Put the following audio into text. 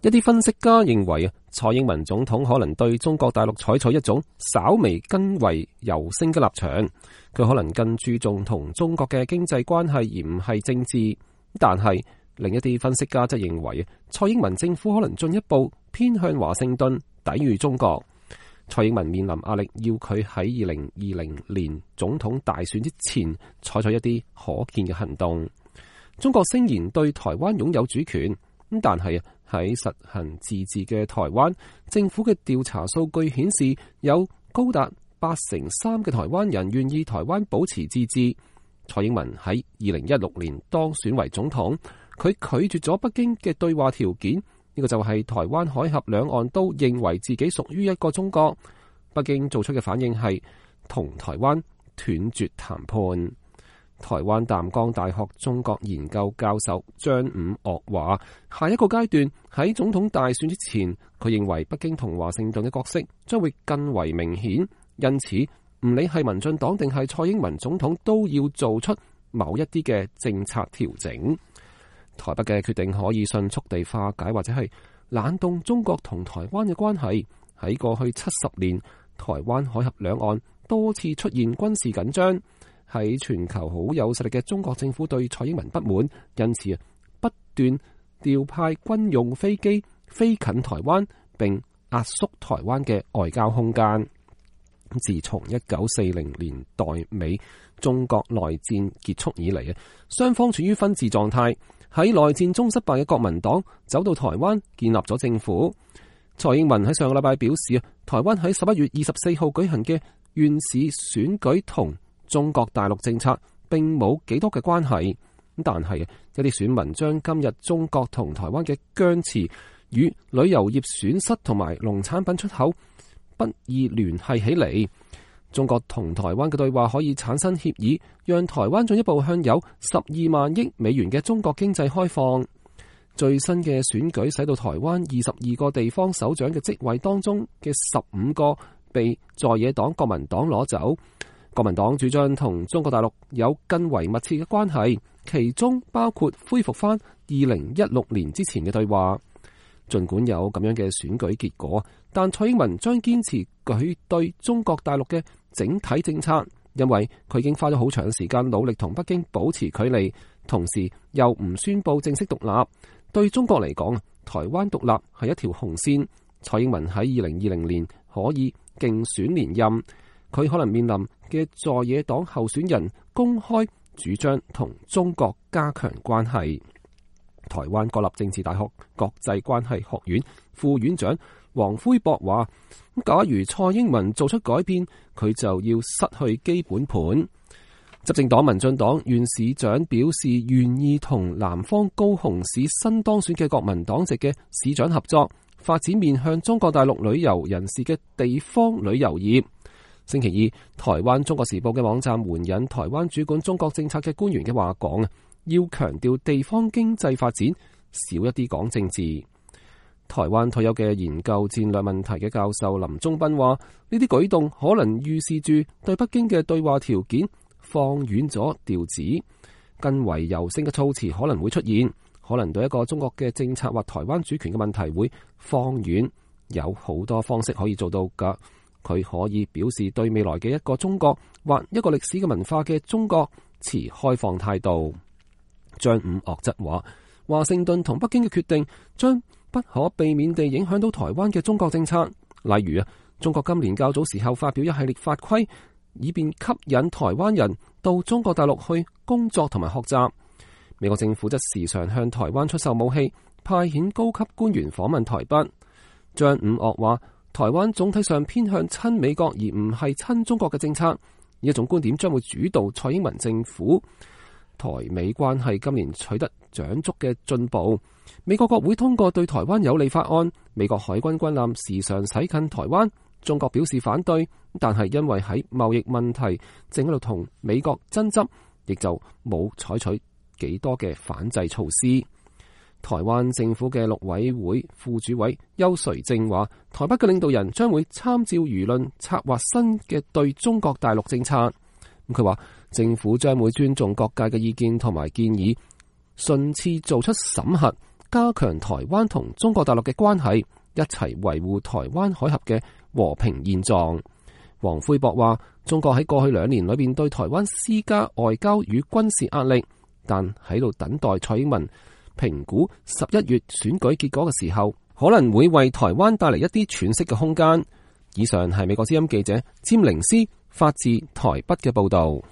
一啲分析家認為蔡英文總統可能對中國大陸採取一種稍微更為柔性嘅立場，佢可能更注重同中國嘅經濟關係而唔係政治。但係另一啲分析家則認為，蔡英文政府可能進一步偏向華盛頓，抵禦中國。蔡英文面臨壓力，要佢喺2020年總統大選之前採取一啲可見嘅行動。中國聲言對台灣擁有主權，但係喺實行自治嘅台灣，政府嘅調查數據顯示，有高達83%嘅台灣人願意台灣保持自治。蔡英文喺2016年當選為總統，佢拒絕咗北京嘅對話條件，呢個就係台灣海峽兩岸都認為自己屬於一個中國。北京做出嘅反應係同台灣斷絕談判。台灣淡江大學中國研究教授張五岳話，下一個階段喺總統大選之前，佢認為北京同華盛頓嘅角色將會更為明顯，因此唔理係民進黨定係蔡英文總統都要做出某一啲嘅政策調整。台北嘅決定可以迅速地化解或者係冷凍中國同台灣嘅關係。喺過去70年，台灣海峽兩岸多次出現軍事緊張。喺全球好有實力嘅中國政府對蔡英文不滿，因此不斷調派軍用飛機飛近台灣，並壓縮台灣嘅外交空間。自從1940年代尾中國內戰結束以嚟，雙方處於分治狀態。喺內戰中失敗嘅國民黨走到台灣建立咗政府。蔡英文喺上個禮拜表示，台灣喺11月24號舉行嘅縣市選舉同中國大陸政策並冇幾多嘅關係，但係一啲選民將今日中國同台灣嘅僵持與旅遊業損失同埋農產品出口不易聯繫起嚟。中國同台灣嘅對話可以產生協議，讓台灣進一步向有12萬億美元嘅中國經濟開放。最新嘅選舉使到台灣22個地方首長嘅職位當中嘅15個被在野黨國民黨攞走。國民黨主張同中國大陸有更為密切嘅關係，其中包括恢復翻2016年之前嘅對話。儘管有咁樣嘅選舉結果，但蔡英文將堅持佢對中國大陸嘅整體政策，因為佢已經花咗好長時間努力同北京保持距離，同時又唔宣布正式獨立。對中國嚟講，台灣獨立係一條紅線。蔡英文喺2020年可以競選連任，佢可能面臨嘅在野黨候選人公開主張同中國加強關係。台灣國立政治大學國際關係學院副院長黃輝博話，假如蔡英文做出改變，佢就要失去基本盤。執政黨民進黨縣市長表示願意同南方高雄市新當選嘅國民黨籍嘅市長合作，發展面向中國大陸旅遊人士嘅地方旅遊業。星期二，台灣中國時報嘅網站援引台灣主管中國政策嘅官員嘅話講，要強調地方經濟發展，少一啲講政治。台灣退休嘅研究戰略問題嘅教授林忠斌話，呢啲舉動可能預示住對北京嘅對話條件放遠咗調子，更為柔性嘅措辭可能會出現，可能對一個中國嘅政策或台灣主權嘅問題會放遠，有好多方式可以做到㗎。佢可以表示對未來嘅一個中國或一個歷史嘅文化嘅中國持開放態度。張五岳則話，華盛頓同北京嘅決定將不可避免地影響到台灣嘅中國政策，例如中國今年較早時候發表一系列法規，以便吸引台灣人到中國大陸去工作同埋學習。美國政府則時常向台灣出售武器，派遣高級官員訪問台北。張五岳話，台灣總體上偏向親美國而唔係親中國嘅政策，呢一種觀點將會主導蔡英文政府。台美關係今年取得長足嘅進步，美國國會通過對台灣有利法案，美國海軍軍艦時常駛近台灣，中國表示反對，但係因為喺貿易問題正喺度同美國爭執，亦就冇採取幾多嘅反制措施。台灣政府嘅陸委會副主委邱垂正話，台北嘅領導人將會參照輿論策劃新嘅對中國大陸政策。佢話政府將會尊重各界嘅意見同埋建議，順次做出審核，加強台灣同中國大陸嘅關係，一齊維護台灣海峽嘅和平現狀。黃奎博話，中國喺過去2年裏邊對台灣施加外交與軍事壓力，但喺度等待蔡英文評估11月選舉結果嘅時候，可能會為台灣帶嚟一啲喘息嘅空間。以上係美國之音記者詹寧斯發自台北嘅報道。